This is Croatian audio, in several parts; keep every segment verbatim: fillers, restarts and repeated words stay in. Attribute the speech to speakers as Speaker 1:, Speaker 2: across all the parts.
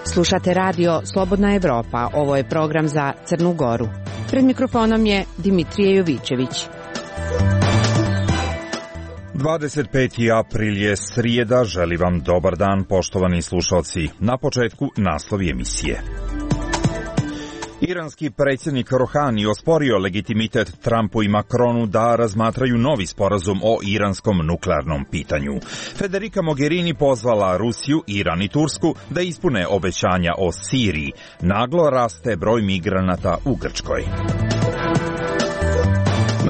Speaker 1: Slušate radio Slobodna Evropa, ovo je program za Crnu Goru. Pred mikrofonom je Dimitrije Jovićević.
Speaker 2: dvadeset peti april je srijeda, želim vam dobar dan poštovani slušalci. Na početku naslovi emisije. Iranski predsjednik Rohani osporio legitimitet Trumpu i Macronu da razmatraju novi sporazum o iranskom nuklearnom pitanju. Federica Mogherini pozvala Rusiju, Iran i Tursku da ispune obećanja o Siriji. Naglo raste broj migranata u Grčkoj.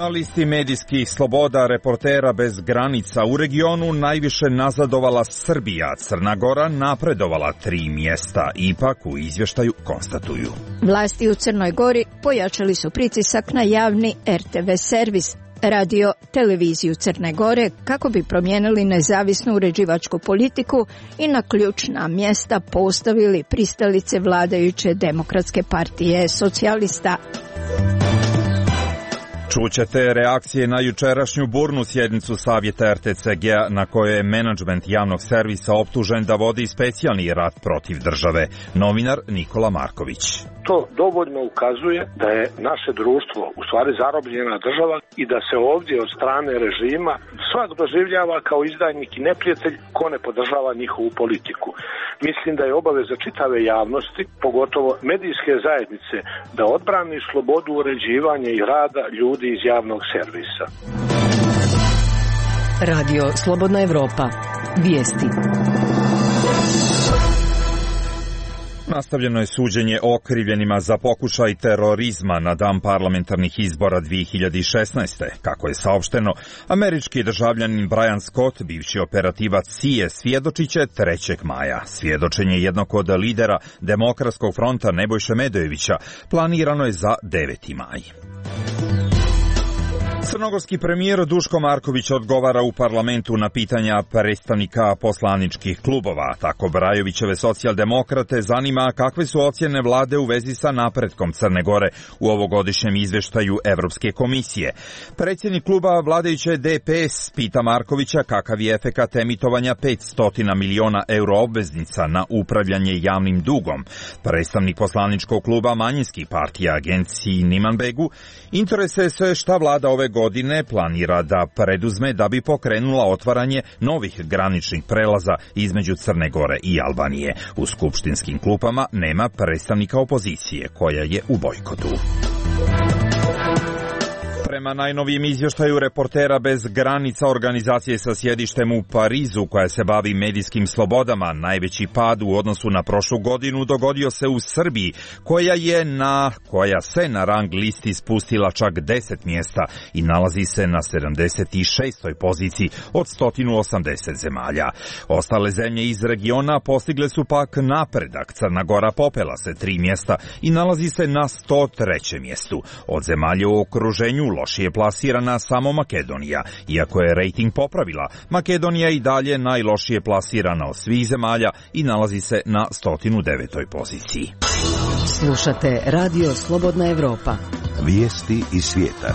Speaker 2: Na listi medijskih sloboda reportera bez granica u regionu najviše nazadovala Srbija, Crna Gora napredovala tri mjesta, ipak u izvještaju konstatuju.
Speaker 3: Vlasti u Crnoj Gori pojačali su pritisak na javni er te ve servis, radio televiziju Crne Gore, kako bi promijenili nezavisnu uređivačku politiku i na ključna mjesta postavili pristalice vladajuće Demokratske partije socijalista.
Speaker 2: Čućete reakcije na jučerašnju burnu sjednicu Savjeta er te ce ge-a na kojoj je menadžment javnog servisa optužen da vodi specijalni rat protiv države. Novinar Nikola Marković.
Speaker 4: To dovoljno ukazuje da je naše društvo u stvari zarobljena država i da se ovdje od strane režima svak doživljava kao izdajnik i neprijatelj ko ne podržava njihovu politiku. Mislim da je obaveza čitave javnosti, pogotovo medijske zajednice, da odbrani slobodu uređivanja i rada ljudi iz javnog servisa.
Speaker 5: Radio Slobodna Evropa. Vijesti.
Speaker 2: Nastavljeno je suđenje okrivljenima za pokušaj terorizma na dan parlamentarnih izbora dvije hiljade šesnaeste. Kako je saopšteno, američki državljanin Brian Scott, bivši operativac C I A, svjedočit će trećeg maja. Svjedočenje jednog od lidera Demokratskog fronta Nebojše Medojevića planirano je za deveti maj. Crnogorski premijer Duško Marković odgovara u parlamentu na pitanja predstavnika poslaničkih klubova. Tako Brajovićeve socijaldemokrate zanima kakve su ocjene vlade u vezi sa napretkom Crne Gore u ovogodišnjem izvještaju Evropske komisije. Predsjednik kluba vladajuće de pe es pita Markovića kakav je efekat emitovanja petsto miliona euro obveznica na upravljanje javnim dugom. Predstavnik poslaničkog kluba manjinskih partija agenciji Nimanbegu interesuje se šta vlada ove godine planira da preduzme da bi pokrenula otvaranje novih graničnih prelaza između Crne Gore i Albanije. U skupštinskim klupama nema predstavnika opozicije koja je u bojkotu. Prema najnovijem izvještaju reportera bez granica, organizacije sa sjedištem u Parizu koja se bavi medijskim slobodama, najveći pad u odnosu na prošlu godinu dogodio se u Srbiji, koja je na koja se na rang listi spustila čak deset mjesta i nalazi se na sedamdeset šestoj poziciji od sto osamdeset zemalja. Ostale zemlje iz regiona postigle su pak napredak. Crna Gora popela se tri mjesta i nalazi se na sto trećem mjestu. Od zemalja u okruženju lošije je plasirana samo Makedonija. Iako je rejting popravila, Makedonija i dalje najlošije plasirana od svih zemalja i nalazi se na sto devetoj poziciji.
Speaker 5: Slušate Radio Slobodna Evropa.
Speaker 6: Vijesti iz svijeta.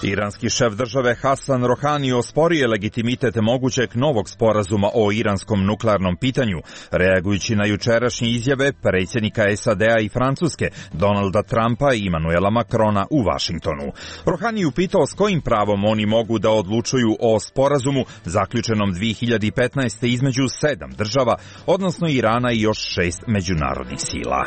Speaker 2: Iranski šef države Hasan Rohani osporio je legitimitet mogućeg novog sporazuma o iranskom nuklearnom pitanju, reagujući na jučerašnje izjave predsjednika es a de a i Francuske, Donalda Trumpa i Emmanuela Macrona u Vašingtonu. Rohani je upitao s kojim pravom oni mogu da odlučuju o sporazumu zaključenom dvije hiljade petnaeste. između sedam država, odnosno Irana i još šest međunarodnih sila.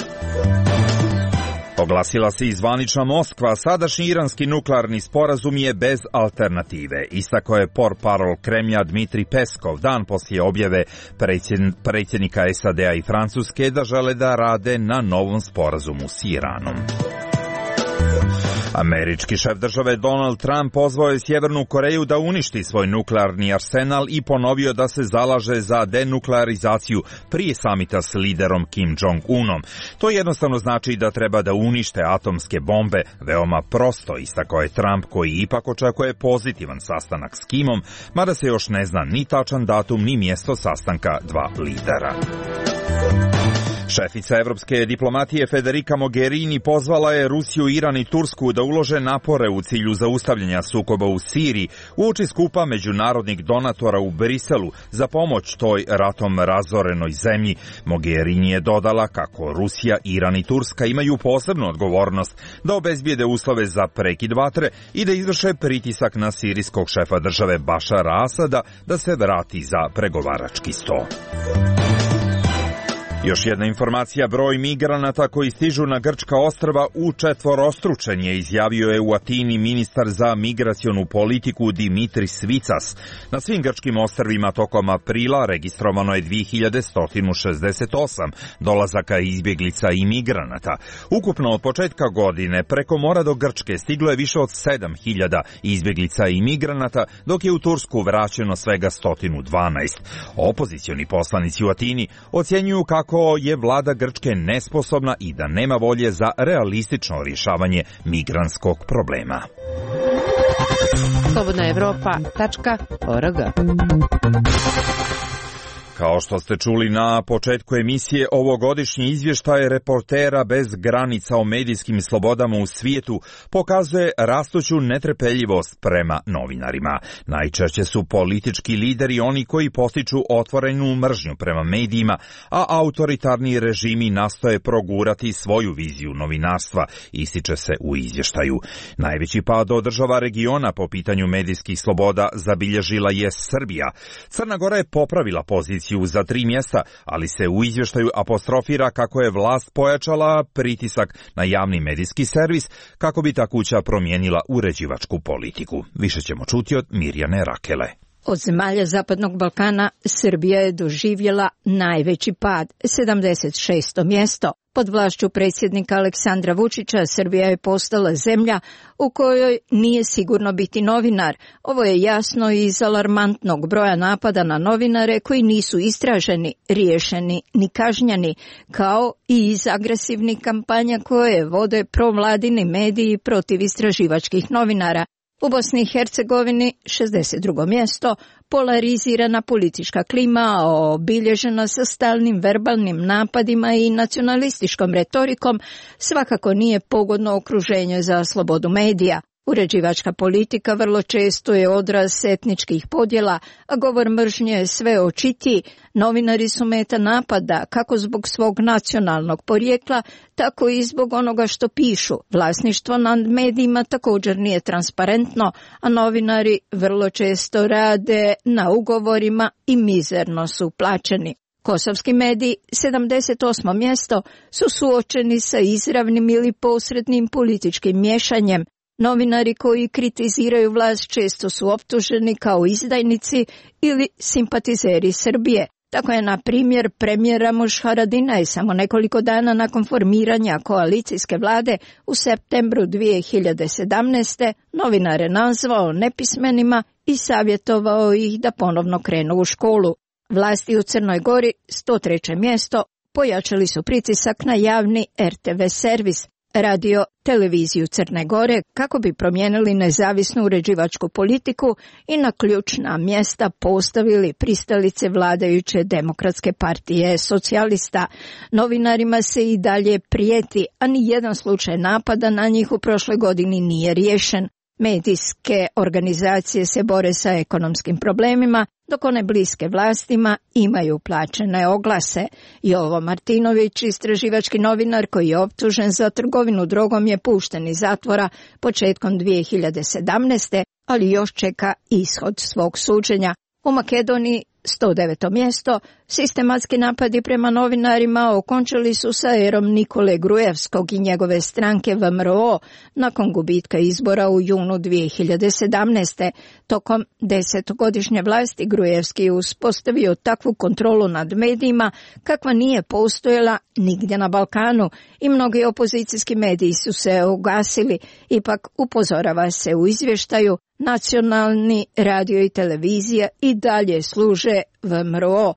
Speaker 2: Oglasila se i zvanična Moskva, sadašnji iranski nuklearni sporazum je bez alternative. Istakao je portparol Kremlja Dmitrij Peskov dan poslije objave predsjednika es a de a i Francuske da žele da rade na novom sporazumu s Iranom. Američki šef države Donald Trump pozvao je Sjevernu Koreju da uništi svoj nuklearni arsenal i ponovio da se zalaže za denuklearizaciju prije samita s liderom Kim Jong-unom. To jednostavno znači da treba da unište atomske bombe, veoma prosto, istakao je Trump, koji ipak očekuje pozitivan sastanak s Kimom, mada se još ne zna ni tačan datum ni mjesto sastanka dva lidera. Šefica evropske diplomatije Federica Mogherini pozvala je Rusiju, Iran i Tursku da ulože napore u cilju zaustavljanja sukoba u Siriji uoči skupa međunarodnih donatora u Briselu za pomoć toj ratom razorenoj zemlji. Mogherini je dodala kako Rusija, Iran i Turska imaju posebnu odgovornost da obezbijede uslove za prekid vatre i da izvrše pritisak na sirijskog šefa države Bašara Asada da se vrati za pregovarački sto. Još jedna informacija, broj migranata koji stižu na grčka ostrva učetvorostručen je, izjavio je u Atini ministar za migracionu politiku Dimitris Svicas. Na svim grčkim ostrvima tokom aprila registrovano je dvije hiljade sto šezdeset osam dolazaka izbjeglica i migranata. Ukupno od početka godine preko mora do Grčke stiglo je više od sedam hiljada izbjeglica i migranata, dok je u Tursku vraćeno svega sto dvanaest. Opozicioni poslanici u Atini ocjenjuju kako je vlada Grčke nesposobna i da nema volje za realistično rješavanje migrantskog problema.
Speaker 1: slobodna evropa tačka org.
Speaker 2: Kao što ste čuli na početku emisije, ovogodišnji izvještaj Reportera bez granica o medijskim slobodama u svijetu pokazuje rastuću netrpeljivost prema novinarima. Najčešće su politički lideri oni koji postiču otvorenu mržnju prema medijima, a autoritarni režimi nastoje progurati svoju viziju novinarstva, ističe se u izvještaju. Najveći pad od država regiona po pitanju medijskih sloboda zabilježila je Srbija. Crna Gora je popravila poziciju za tri mjesta, ali se u izvještaju apostrofira kako je vlast pojačala pritisak na javni medijski servis kako bi ta kuća promijenila uređivačku politiku. Više ćemo čuti od Mirjane Rakele.
Speaker 3: Od zemalja Zapadnog Balkana Srbija je doživjela najveći pad, sedamdeset šesto mjesto. Pod vlašću predsjednika Aleksandra Vučića Srbija je postala zemlja u kojoj nije sigurno biti novinar. Ovo je jasno iz alarmantnog broja napada na novinare koji nisu istraženi, riješeni ni kažnjeni, kao i iz agresivnih kampanja koje vode provladini mediji protiv istraživačkih novinara. U Bosni i Hercegovini šezdeset drugo mjesto, polarizirana politička klima obilježena sa stalnim verbalnim napadima i nacionalističkom retorikom svakako nije pogodno okruženje za slobodu medija. Uređivačka politika vrlo često je odraz etničkih podjela, a govor mržnje je sve očitiji. Novinari su meta napada kako zbog svog nacionalnog porijekla, tako i zbog onoga što pišu. Vlasništvo nad medijima također nije transparentno, a novinari vrlo često rade na ugovorima i mizerno su plaćeni. Kosovski mediji, sedamdeset osmo mjesto, su suočeni sa izravnim ili posrednim političkim miješanjem. Novinari koji kritiziraju vlast često su optuženi kao izdajnici ili simpatizeri Srbije. Tako je, na primjer, premijer Ramuš Haradinaj samo nekoliko dana nakon formiranja koalicijske vlade u septembru dvije hiljade sedamnaeste. novinare nazvao nepismenima i savjetovao ih da ponovno krenu u školu. Vlasti u Crnoj Gori, sto treće mjesto, pojačali su pritisak na javni er te ve servis, radio televiziju Crne Gore, kako bi promijenili nezavisnu uređivačku politiku i na ključna mjesta postavili pristalice vladajuće Demokratske partije socijalista. Novinarima se i dalje prijeti, a ni jedan slučaj napada na njih u prošloj godini nije riješen. Medijske organizacije se bore sa ekonomskim problemima, dok one bliske vlastima imaju plaćene oglase. Jovo Martinović, istraživački novinar koji je optužen za trgovinu drogom, je pušten iz zatvora početkom dvije hiljade sedamnaeste. ali još čeka ishod svog suđenja. U Makedoniji, sto deveto mjesto, sistematski napadi prema novinarima okončali su sa erom Nikole Grujevskog i njegove stranke ve em er o nakon gubitka izbora u junu dvije hiljade sedamnaeste. Tokom desetogodišnje vlasti Grujevski je uspostavio takvu kontrolu nad medijima kakva nije postojala nigdje na Balkanu i mnogi opozicijski mediji su se ugasili. Ipak upozorava se u izvještaju, nacionalni radio i televizija i dalje služe ve em er o.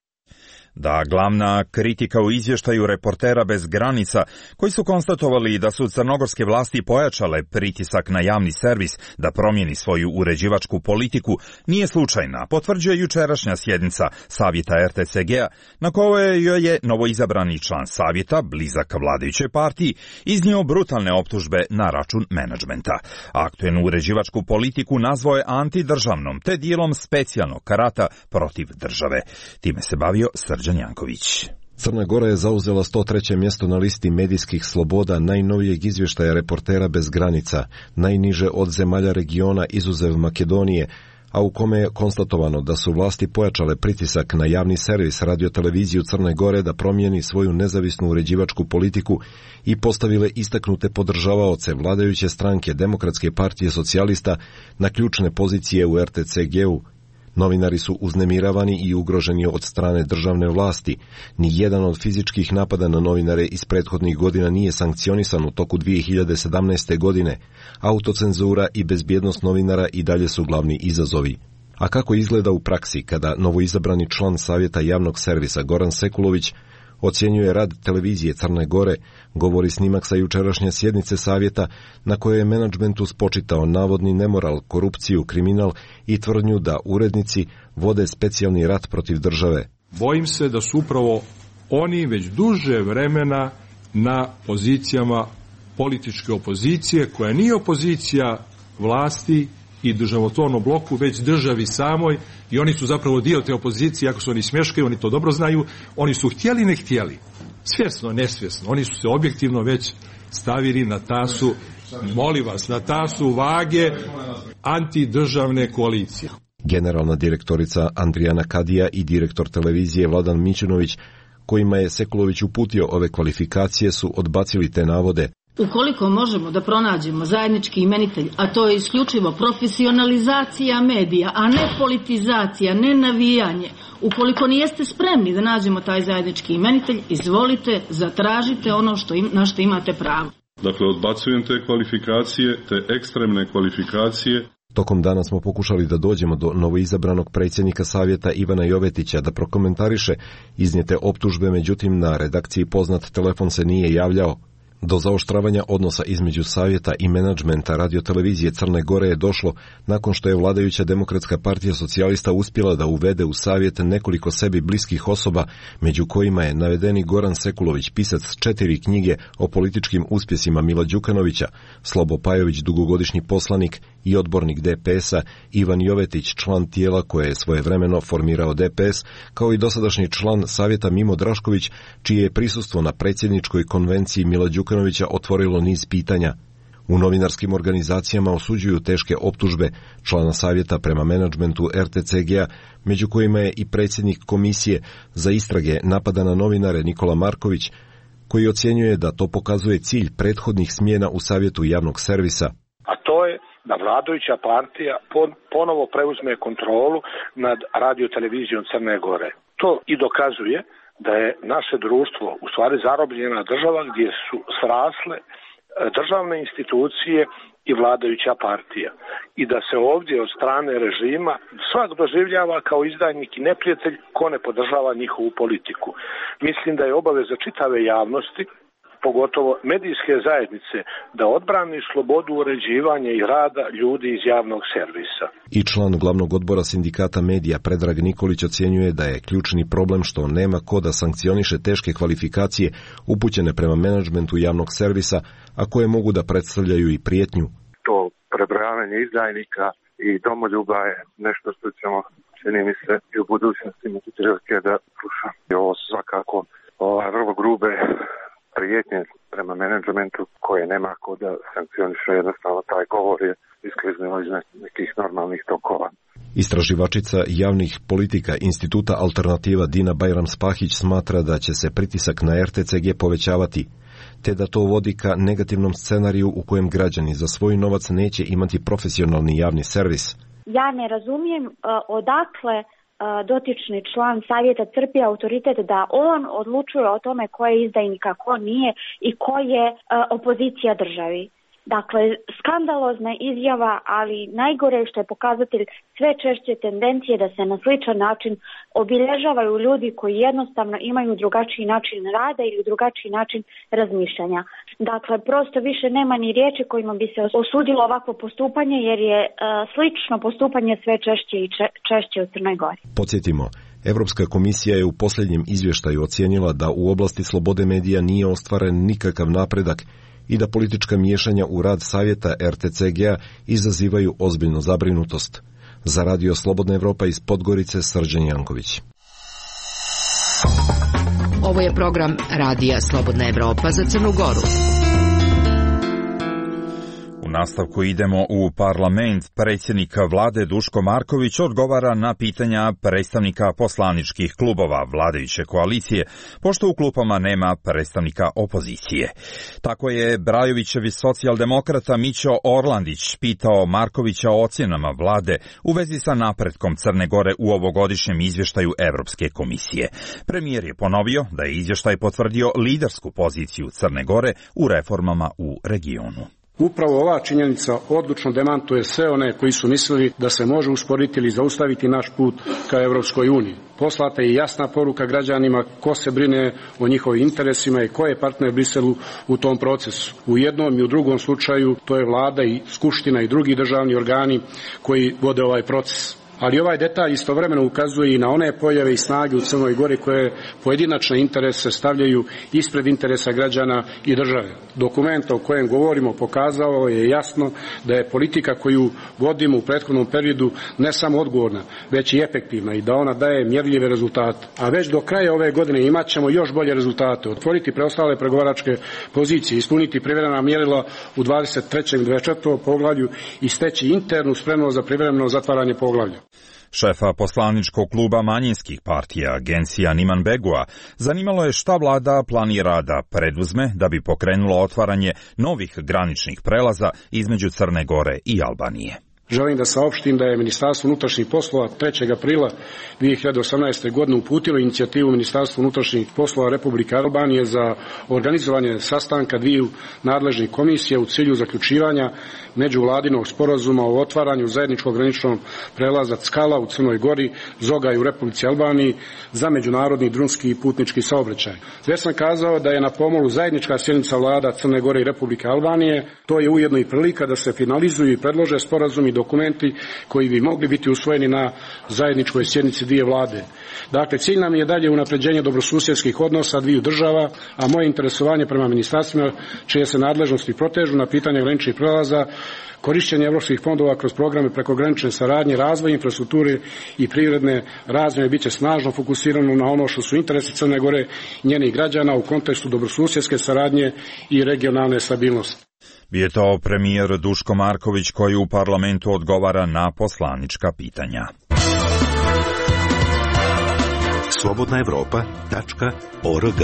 Speaker 2: da glavna kritika u izvještaju Reportera bez granica, koji su konstatovali da su crnogorske vlasti pojačale pritisak na javni servis da promijeni svoju uređivačku politiku, nije slučajna, potvrđuje jučerašnja sjednica Savjeta er te ce ge-a, na kojoj joj je novoizabrani član Savjeta, blizak vladajućoj partiji, iznio brutalne optužbe na račun menadžmenta. Aktuelnu uređivačku politiku nazvao je antidržavnom, te dijelom specijalnog karata protiv države. Time se bavio Srđan Janković.
Speaker 7: Crna Gora je zauzela sto treće mjesto na listi medijskih sloboda najnovijeg izvještaja Reportera bez granica, najniže od zemalja regiona izuzev Makedonije, a u kome je konstatovano da su vlasti pojačale pritisak na javni servis radioteleviziju Crne Gore da promijeni svoju nezavisnu uređivačku politiku i postavile istaknute podržavaoce vladajuće stranke Demokratske partije socijalista na ključne pozicije u er te ce ge-u. Novinari su uznemiravani i ugroženi od strane državne vlasti. Ni jedan od fizičkih napada na novinare iz prethodnih godina nije sankcionisan u toku dvije hiljade sedamnaeste. godine. Autocenzura i bezbjednost novinara i dalje su glavni izazovi. A kako izgleda u praksi kada novoizabrani član Savjeta javnog servisa Goran Sekulović ocjenjuje rad televizije Crne Gore, govori snimak sa jučerašnje sjednice Savjeta na kojoj je menadžmentu spočitao navodni nemoral, korupciju, kriminal i tvrdnju da urednici vode specijalni rat protiv države.
Speaker 8: Bojim se da su upravo oni već duže vremena na pozicijama političke opozicije, koja nije opozicija vlasti i državotvornom bloku, već državi samoj, i oni su zapravo dio te opozicije, ako su oni smješkaju, oni to dobro znaju, oni su htjeli ne htjeli, svjesno, nesvjesno, oni su se objektivno već stavili na tasu, molim vas, na tasu vage antidržavne koalicije.
Speaker 7: Generalna direktorica Andrijana Kadija i direktor televizije Vladan Mićunović, kojima je Sekulović uputio ove kvalifikacije, su odbacili te navode.
Speaker 9: Ukoliko možemo da pronađemo zajednički imenitelj, a to je isključivo profesionalizacija medija, a ne politizacija, ne navijanje, ukoliko nijeste spremni da nađemo taj zajednički imenitelj, izvolite, zatražite ono što im, na što imate pravo.
Speaker 10: Dakle, odbacujem te kvalifikacije, te ekstremne kvalifikacije.
Speaker 7: Tokom dana smo pokušali da dođemo do novoizabranog predsjednika Savjeta Ivana Jovetića da prokomentariše iznijete optužbe, međutim na redakciji poznat telefon se nije javljao. Do zaoštravanja odnosa između Savjeta i menadžmenta radiotelevizije Crne Gore je došlo nakon što je vladajuća Demokratska partija socijalista uspjela da uvede u Savjet nekoliko sebi bliskih osoba, među kojima je navedeni Goran Sekulović, pisac četiri knjige o političkim uspjesima Mila Đukanovića, Slobo Pajović, dugogodišnji poslanik i odbornik de pe es-a, Ivan Jovetić, član tijela koje je svojevremeno formirao de pe es, kao i dosadašnji član Savjeta Mimo Drašković, čije je prisustvo na predsjedničkoj konvenciji Mila Đukanovića otvorilo niz pitanja. U novinarskim organizacijama osuđuju teške optužbe člana Savjeta prema menadžmentu er te ce ge-a, među kojima je i predsjednik komisije za istrage napada na novinare Nikola Marković, koji ocjenjuje da to pokazuje cilj prethodnih smjena u Savjetu javnog servisa.
Speaker 4: A to je da vladajuća partija ponovo preuzme kontrolu nad radiotelevizijom Crne Gore. To i dokazuje da je naše društvo u stvari zarobljena država gdje su srasle državne institucije i vladajuća partija. I da se ovdje od strane režima svak doživljava kao izdajnik i neprijatelj ko ne podržava njihovu politiku. Mislim da je obaveza čitave javnosti, pogotovo medijske zajednice, da odbrani slobodu uređivanja i rada ljudi iz javnog servisa.
Speaker 7: I član glavnog odbora sindikata medija Predrag Nikolić ocjenjuje da je ključni problem što nema ko da sankcioniše teške kvalifikacije upućene prema menadžmentu javnog servisa, a koje mogu da predstavljaju i prijetnju.
Speaker 11: To prebrojavanje izdajnika i domoljuba je nešto što ćemo, čini mi se, i u budućnosti imati prilike da slušam. Ovo su svakako ova, vrlo grube prijetnje prema menadžmentu koje nema ko da sankcioniše, jednostavno taj govor je iskliznilo iz nekih normalnih tokova.
Speaker 7: Istraživačica javnih politika Instituta Alternativa Dina Bajram-Spahić smatra da će se pritisak na er te ce ge povećavati, te da to vodi ka negativnom scenariju u kojem građani za svoj novac neće imati profesionalni javni servis.
Speaker 12: Ja ne razumijem uh, odakle dotični član savjeta crpi autoritet da on odlučuje o tome ko je izdajnik, a ko nije i ko je uh, opozicija državi. Dakle, skandalozna izjava, ali najgore što je pokazatelj sve češće tendencije da se na sličan način obilježavaju ljudi koji jednostavno imaju drugačiji način rada ili drugačiji način razmišljanja. Dakle, prosto više nema ni riječi kojima bi se osudilo ovakvo postupanje, jer je uh, slično postupanje sve češće i če, češće u Crnoj Gori.
Speaker 7: Podsjetimo, Evropska komisija je u posljednjem izvještaju ocijenila da u oblasti slobode medija nije ostvaren nikakav napredak i da politička miješanja u rad savjeta er te ce ge a izazivaju ozbiljnu zabrinutost. Za Radio Slobodna Evropa iz Podgorice, Srđan Janković.
Speaker 5: Ovo je program Radija Slobodna Evropa za Crnu Goru.
Speaker 2: U nastavku idemo u parlament. Predsjednik vlade Duško Marković odgovara na pitanja predstavnika poslaničkih klubova vladajuće koalicije, pošto u klupama nema predstavnika opozicije. Tako je Brajovićevi socijaldemokrata Mićo Orlandić pitao Markovića o ocjenama vlade u vezi sa napretkom Crne Gore u ovogodišnjem izvještaju Evropske komisije. Premijer je ponovio da je izvještaj potvrdio lidersku poziciju Crne Gore u reformama u regionu.
Speaker 13: Upravo ova činjenica odlučno demantuje sve one koji su mislili da se može usporiti ili zaustaviti naš put ka Evropskoj uniji. Poslata je jasna poruka građanima ko se brine o njihovim interesima i ko je partner Briselu u tom procesu. U jednom i u drugom slučaju to je vlada i skupština i drugi državni organi koji vode ovaj proces. Ali ovaj detalj istovremeno ukazuje i na one pojave i snage u Crnoj Gori koje pojedinačne interese stavljaju ispred interesa građana i države. Dokument o kojem govorimo pokazao je jasno da je politika koju vodimo u prethodnom periodu ne samo odgovorna, već i efektivna i da ona daje mjerljive rezultate. A već do kraja ove godine imat ćemo još bolje rezultate, otvoriti preostale pregovaračke pozicije, ispuniti privremena mjerila u dvadeset trećem i dvadeset četvrtom poglavlju i steći internu spremnost za privremeno zatvaranje poglavlja.
Speaker 2: Šefa poslaničkog kluba manjinskih partija, Agencija Niman Begua, zanimalo je šta vlada planira da preduzme da bi pokrenulo otvaranje novih graničnih prelaza između Crne Gore i Albanije.
Speaker 13: Želim da saopštim da je Ministarstvo unutrašnjih poslova trećeg aprila dvije hiljade osamnaeste. godine uputilo inicijativu Ministarstva unutrašnjih poslova Republike Albanije za organizovanje sastanka dviju nadležnih komisija u cilju zaključivanja međuvladinog sporazuma o otvaranju zajedničkog graničnog prelaza Ckala u Crnoj Gori, Zogaj u Republici Albaniji za međunarodni drumski i putnički saobraćaj. Već sam kazao da je na pomolu zajednička sjednica vlada Crne Gore i Republike Albanije. To je ujedno i prilika da se finalizuju i predlože sporazumi i dokumenti koji bi mogli biti usvojeni na zajedničkoj sjednici dvije vlade. Dakle, cilj nam je dalje unapređenje dobrosusjedskih odnosa dviju država, a moje interesovanje prema ministarstvima čije se nadležnosti protežu na pitanje graničnih prelaza, korištenje evropskih fondova kroz programe prekogranične saradnje, razvoj infrastrukture i privredne razvoje biće snažno fokusirano na ono što su interesi Crne Gore i njenih građana u kontekstu dobrosusjedske saradnje i regionalne stabilnosti.
Speaker 2: Bio je to premijer Duško Marković koji u parlamentu odgovara na poslanička pitanja.
Speaker 6: slobodna evropa tačka org.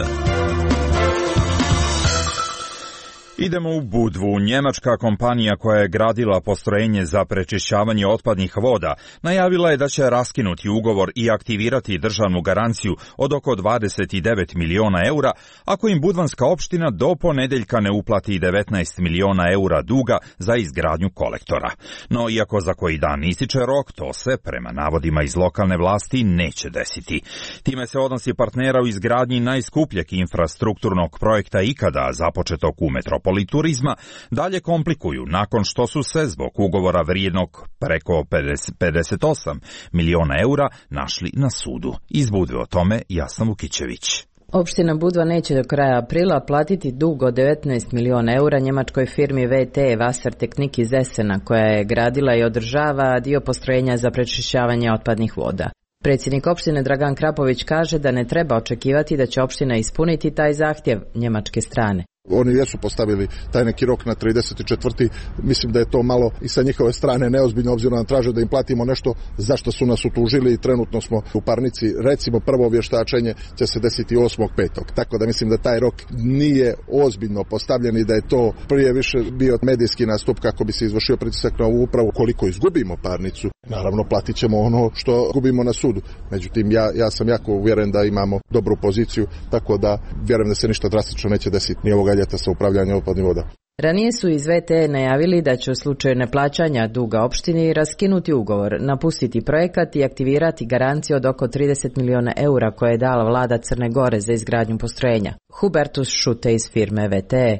Speaker 2: Idemo u Budvu. Njemačka kompanija koja je gradila postrojenje za prečišćavanje otpadnih voda najavila je da će raskinuti ugovor i aktivirati državnu garanciju od oko dvadeset devet miliona eura ako im budvanska opština do ponedeljka ne uplati devetnaest miliona eura duga za izgradnju kolektora. No, iako za koji dan ističe rok, to se, prema navodima iz lokalne vlasti, neće desiti. Time se odnosi partnera u izgradnji najskupljeg infrastrukturnog projekta ikada započetog u metropoli turizma dalje komplikuju nakon što su se zbog ugovora vrijednog preko pedeset osam miliona eura našli na sudu. Iz Budve o tome Jasna Vukićević.
Speaker 14: Opština Budva neće do kraja aprila platiti dug od devetnaest miliona eura njemačkoj firmi V T Wasser Technik iz Essena koja je gradila i održava dio postrojenja za prečišćavanje otpadnih voda. Predsjednik opštine Dragan Krapović kaže da ne treba očekivati da će opština ispuniti taj zahtjev njemačke strane.
Speaker 15: Oni jesu postavili taj neki rok na trideset četvrti Mislim da je to malo i sa njihove strane neozbiljno, obzirom da traže da im platimo nešto zašto su nas utužili i trenutno smo u parnici. Recimo prvo vještačenje će se desiti osmog petog Tako da mislim da taj rok nije ozbiljno postavljen i da je to prije više bio medijski nastup kako bi se izvršio pritisak na ovu upravu. Koliko izgubimo parnicu, naravno platit ćemo ono što gubimo na sudu. Međutim, ja, ja sam jako uvjeren da imamo dobru poziciju, tako da vjerujem da se ništa drastično neće desiti ni ovoga ljeta sa upravljanjem otpadnih voda.
Speaker 14: Ranije su iz V T E najavili da će u slučaju neplaćanja duga opštini raskinuti ugovor, napustiti projekat i aktivirati garanciju od oko trideset miliona eura koje je dala vlada Crne Gore za izgradnju postrojenja. Hubertus Šute iz firme V T E.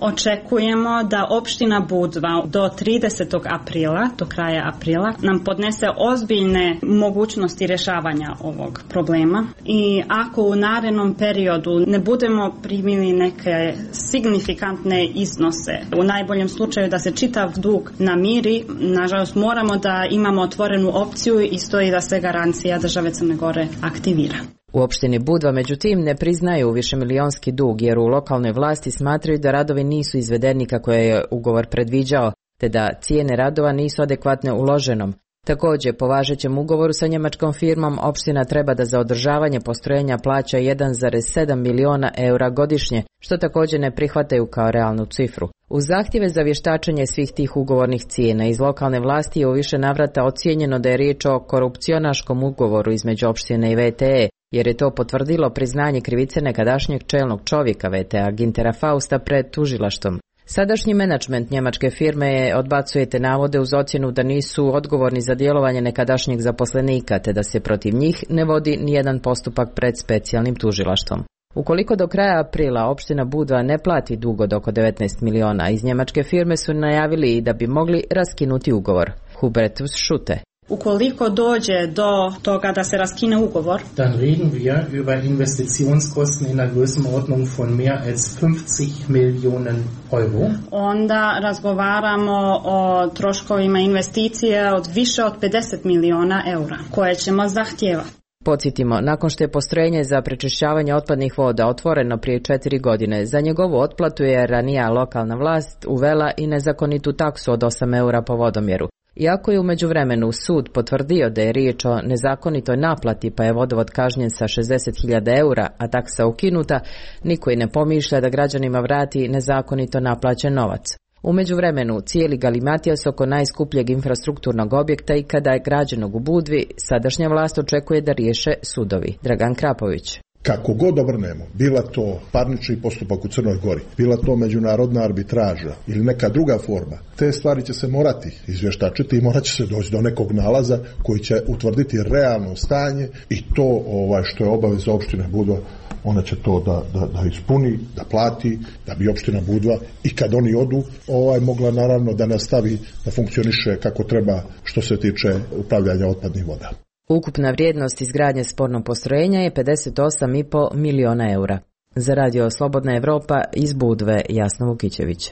Speaker 16: Očekujemo da opština Budva do tridesetog aprila, do kraja aprila, nam podnese ozbiljne mogućnosti rješavanja ovog problema i ako u narednom periodu ne budemo primili neke signifikantne iznose, u najboljem slučaju da se čitav dug namiri, nažalost moramo da imamo otvorenu opciju i stoji da se garancija države Crne Gore aktivira.
Speaker 14: U opštini Budva, međutim, ne priznaju višemilionski dug jer u lokalnoj vlasti smatraju da radovi nisu izvedeni kako je ugovor predviđao, te da cijene radova nisu adekvatne uloženom. Također, po važećem ugovoru sa njemačkom firmom, opština treba da za održavanje postrojenja plaća jedan zarez sedam miliona eura godišnje, što također ne prihvataju kao realnu cifru. U zahtjeve za vještačenje svih tih ugovornih cijena iz lokalne vlasti je u više navrata ocijenjeno da je riječ o korupcionaškom ugovoru između opštine i V T E, jer je to potvrdilo priznanje krivice nekadašnjeg čelnog čovjeka V T A Gintera Fausta pred tužilaštvom. Sadašnji menadžment njemačke firme je odbacuje te navode uz ocjenu da nisu odgovorni za djelovanje nekadašnjeg zaposlenika, te da se protiv njih ne vodi nijedan postupak pred specijalnim tužilaštvom. Ukoliko do kraja aprila opština Budva ne plati dug od oko devetnaest miliona, iz njemačke firme su najavili da bi mogli raskinuti ugovor. Hubertus Šute.
Speaker 16: Ukoliko dođe do toga da se raskine ugovor,
Speaker 17: dann reden wir über Investitionskosten in der Größenordnung von mehr als fünfzig Millionen Euro.
Speaker 16: Onda razgovaramo o troškovima investicije od više od pedeset miliona eura koje ćemo zahtijevati.
Speaker 14: Podsjetimo, nakon što je postrojenje za prečišćavanje otpadnih voda otvoreno prije četiri godine, za njegovu otplatu je ranija lokalna vlast uvela i nezakonitu taksu od osam eura po vodomjeru. Iako je u međuvremenu sud potvrdio da je riječ o nezakonitoj naplati pa je vodovod kažnjen sa šezdeset hiljada eura, a taksa ukinuta, niko i ne pomišlja da građanima vrati nezakonito naplaćen novac. U međuvremenu cijeli galimatijas oko najskupljeg infrastrukturnog objekta i kada je građenog u Budvi, sadašnja vlast očekuje da riješe sudovi. Dragan Krapović.
Speaker 15: Kako god obrnemo, bila to parnični postupak u Crnoj Gori, bila to međunarodna arbitraža ili neka druga forma, te stvari će se morati izvještačiti i morat će se doći do nekog nalaza koji će utvrditi realno stanje i to ovaj, što je obaveza opštine Budva, ona će to da, da, da ispuni, da plati, da bi opština Budva i kad oni odu, ovaj, mogla naravno da nastavi da funkcioniše kako treba što se tiče upravljanja otpadnih voda.
Speaker 14: Ukupna vrijednost izgradnje spornog postrojenja je pedeset osam i po miliona eura. Za radio Slobodna Evropa iz Budve, Jasna Vukićević.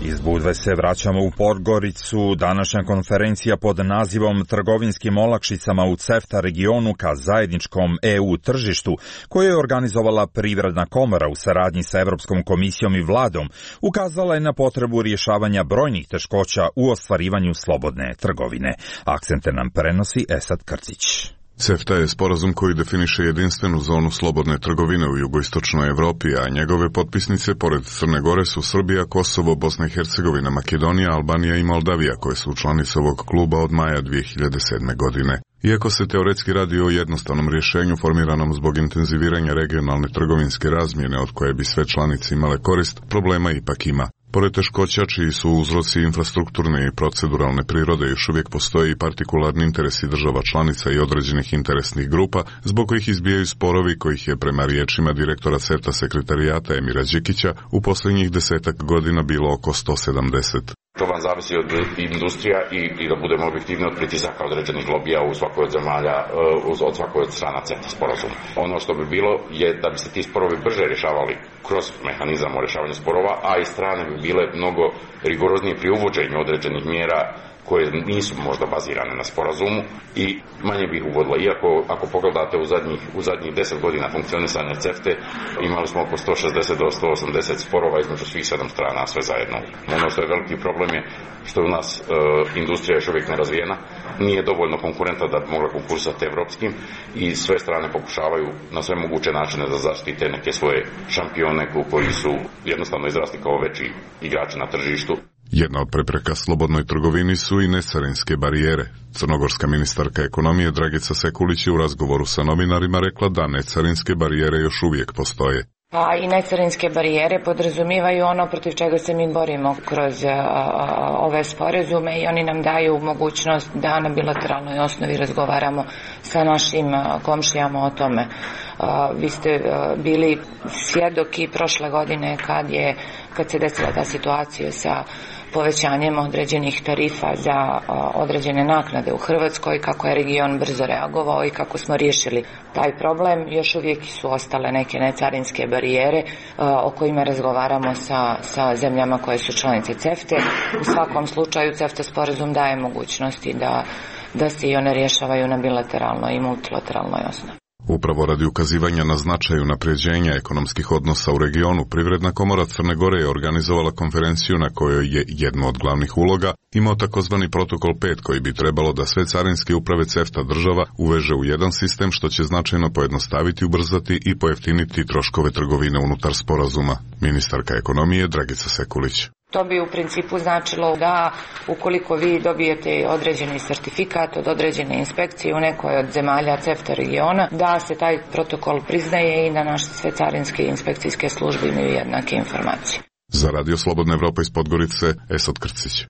Speaker 2: Iz Budve se vraćamo u Podgoricu. Današnja konferencija pod nazivom Trgovinskim olakšicama u CEFTA regionu ka zajedničkom E U tržištu, koju je organizovala Privredna komora u saradnji sa Evropskom komisijom i vladom, ukazala je na potrebu rješavanja brojnih teškoća u ostvarivanju slobodne trgovine. Akcente nam prenosi Esad Krcić.
Speaker 18: CEFTA je sporazum koji definiše jedinstvenu zonu slobodne trgovine u jugoistočnoj Evropi, a njegove potpisnice pored Crne Gore su Srbija, Kosovo, Bosna i Hercegovina, Makedonija, Albanija i Moldavija, koje su članice ovog kluba od maja dvije hiljade sedme. godine. Iako se teoretski radi o jednostavnom rješenju formiranom zbog intenziviranja regionalne trgovinske razmjene od koje bi sve članice imale korist, problema ipak ima. Pored teškoća čiji su uzroci infrastrukturne i proceduralne prirode, još uvijek postoje i partikularni interesi država članica i određenih interesnih grupa, zbog kojih izbijaju sporovi kojih je prema riječima direktora CEFTA sekretarijata Emira Đikića u posljednjih desetak godina bilo oko sto sedamdeset.
Speaker 19: To vam zavisi od industrija i, i da budemo objektivni od pritisaka određenih lobija u svakoj od zemalja, od svakoj od strana CEFTA sporazuma. Ono što bi bilo je da bi se ti sporovi brže rješavali kroz mehanizam o rješavanju sporova, a i strane bi bile mnogo rigoroznije pri uvođenju određenih mjera koje nisu možda bazirane na sporazumu i manje bi ih uvodila. Iako ako pogledate u zadnjih, u zadnjih deset godina funkcionisanja CEFTE, imali smo oko sto šezdeset do sto osamdeset sporova između svih sedam strana, sve zajedno. Ono što je veliki problem je što u nas e, industrija još uvijek nerazvijena, nije dovoljno konkurenta da bi mogla konkursati evropskim i sve strane pokušavaju na sve moguće načine da zaštite neke svoje šampione koji su jednostavno izrasti kao veći igrači na tržištu.
Speaker 18: Jedna od prepreka slobodnoj trgovini su i necarinske barijere. Crnogorska ministarka ekonomije Dragica Sekulić je u razgovoru sa novinarima rekla da necarinske barijere još uvijek postoje.
Speaker 20: Pa i necarinske barijere podrazumijevaju ono protiv čega se mi borimo kroz a, a, ove sporazume i oni nam daju mogućnost da na bilateralnoj osnovi razgovaramo sa našim a, komšijama o tome. A, vi ste a, bili svjedoki prošle godine kad je kad se desila ta situacija sa povećanjem određenih tarifa za a, određene naknade u Hrvatskoj, kako je region brzo reagovao i kako smo riješili taj problem. Još uvijek su ostale neke necarinske barijere a, o kojima razgovaramo sa, sa zemljama koje su članice CEFTA. U svakom slučaju CEFTA sporazum daje mogućnosti da, da se i one rješavaju na bilateralnoj i multilateralnoj osnovi.
Speaker 18: Upravo radi ukazivanja na značaju unapređenja ekonomskih odnosa u regionu, Privredna komora Crne Gore je organizovala konferenciju na kojoj je jedno od glavnih uloga imao takozvani protokol pet koji bi trebalo da sve carinske uprave CEFTA država uveže u jedan sistem što će značajno pojednostaviti, ubrzati i pojeftiniti troškove trgovine unutar sporazuma. Ministarka ekonomije Dragica Sekulić.
Speaker 20: To bi u principu značilo da ukoliko vi dobijete određeni sertifikat od određene inspekcije u nekoj od zemalja CEFTA regiona, da se taj protokol priznaje i da naše sve carinske i inspekcijske službe imaju jednake informacije.
Speaker 18: Za Radio Slobodna Evropa iz Podgorice, Esad Krcić.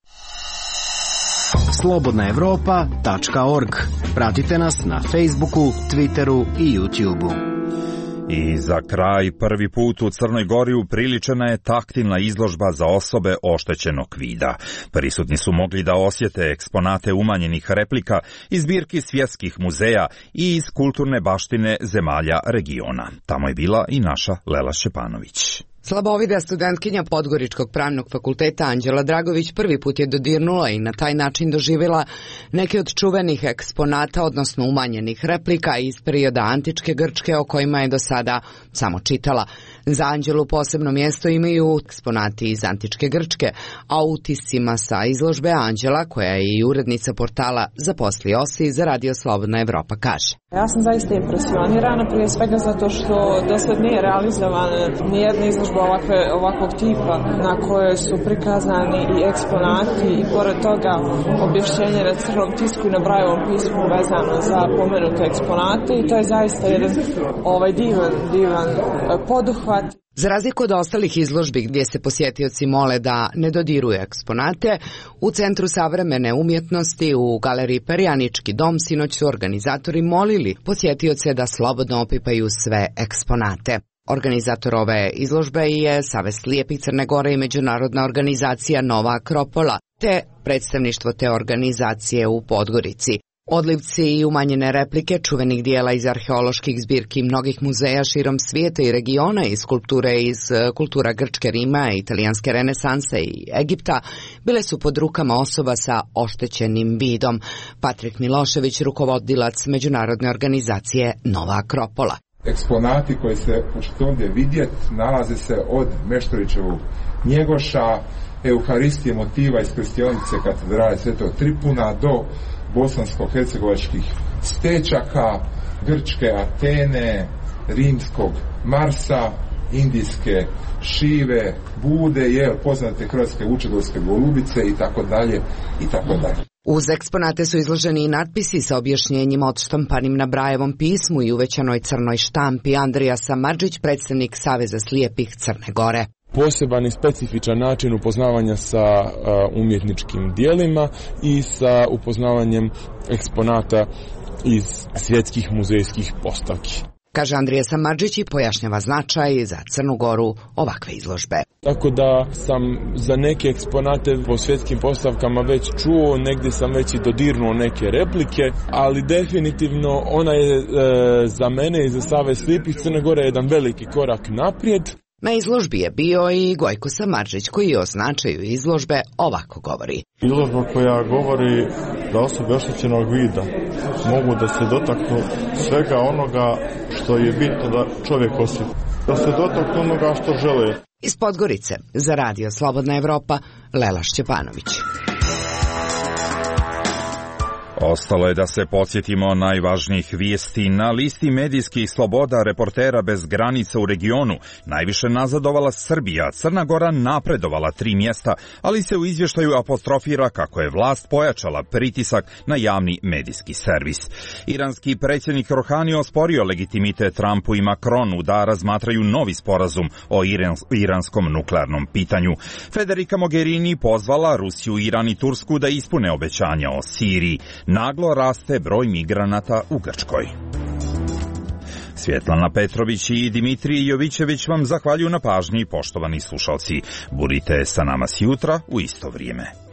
Speaker 21: slobodna evropa tačka org. Pratite nas na Facebooku, Twitteru i YouTubeu.
Speaker 2: I za kraj, prvi put u Crnoj Gori upriličena je taktilna izložba za osobe oštećenog vida. Prisutni su mogli da osjete eksponate umanjenih replika iz zbirki svjetskih muzeja i iz kulturne baštine zemalja regiona. Tamo je bila i naša Lela Šćepanović.
Speaker 1: Slabovida studentkinja Podgoričkog pravnog fakulteta Anđela Dragović prvi put je dodirnula i na taj način doživjela neke od čuvenih eksponata, odnosno umanjenih replika iz perioda antičke Grčke o kojima je do sada samo čitala. Za Anđelu posebno mjesto imaju eksponati iz antičke Grčke, a u utiscima sa izložbe Anđela, koja je i urednica portala Zaposli Osi, za Radio Slobodna Evropa kaže.
Speaker 22: Ja sam zaista impresionirana, prije svega zato što do sad nije realizovana nijedna izložba ovakve, ovakvog tipa na kojoj su prikazani i eksponati i pored toga objašnjenje na crnom tisku i na Brajevom pismu vezano za pomenute eksponate i to je zaista jedan ovaj divan, divan poduhvat.
Speaker 1: Za razliku od ostalih izložbi gdje se posjetioci mole da ne dodiruju eksponate, u Centru savremene umjetnosti u galeriji Perjanički dom sinoć su organizatori molili posjetioce da slobodno opipaju sve eksponate. Organizator ove izložbe je Savez slijepih Crne Gore i međunarodna organizacija Nova Akropola, te predstavništvo te organizacije u Podgorici. Odlivci i umanjene replike čuvenih dijela iz arheoloških zbirki mnogih muzeja širom svijeta i regiona i skulpture iz kultura Grčke, Rima, italijanske renesanse i Egipta bile su pod rukama osoba sa oštećenim vidom. Patrik Milošević, rukovodilac međunarodne organizacije Nova Akropola.
Speaker 23: Eksponati koji se možete ovdje vidjeti nalaze se od Meštrovićevog Njegoša, Euharistije motiva iz krstionice katedrale Svetog Tripuna do bosansko-hercegovačkih stečaka, grčke Atene, rimskog Marsa, indijske Šive, Bude, jel, poznate hrvatske vučedolske golubice i tako dalje i tako dalje.
Speaker 1: Uz eksponate su izloženi i natpisi sa objašnjenjima odštampanim na Brajevom pismu i uvećanoj crnoj štampi. Andrija Samardžić, predstavnik Saveza slijepih Crne Gore.
Speaker 24: Poseban i specifičan način upoznavanja sa uh, umjetničkim dijelima i sa upoznavanjem eksponata iz svjetskih muzejskih postavki.
Speaker 1: Kaže Andrija Samardžić i pojašnjava značaj za Crnu Goru ovakve izložbe.
Speaker 24: Tako da sam za neke eksponate po svjetskim postavkama već čuo, negdje sam već i dodirnuo neke replike, ali definitivno ona je e, za mene i za Savez slijepih Crne Gore jedan veliki korak naprijed.
Speaker 1: Na izložbi je bio i Gojko Samardžić koji o značaju izložbe ovako govori.
Speaker 25: Izložba koja govori da osobe oštećenog vida mogu da se dotaknu svega onoga što je bitno da čovjek osjeti. Da se dotaknu onoga što žele.
Speaker 1: Iz Podgorice za Radio Slobodna Evropa, Lela Šćepanović.
Speaker 2: Ostalo je da se podsjetimo najvažnijih vijesti. Na listi medijskih sloboda reportera bez granica u regionu najviše nazadovala Srbija, Crna Gora napredovala tri mjesta, ali se u izvještaju apostrofira kako je vlast pojačala pritisak na javni medijski servis. Iranski predsjednik Rohani osporio legitimitet Trumpu i Macronu da razmatraju novi sporazum o iranskom nuklearnom pitanju. Federica Mogherini pozvala Rusiju, Iran i Tursku da ispune obećanja o Siriji. Naglo raste broj migranata u Grčkoj. Svjetlana Petrović i Dimitrij Jovićević vam zahvaljuju na pažnji, poštovani slušalci. Budite sa nama sjutra u isto vrijeme.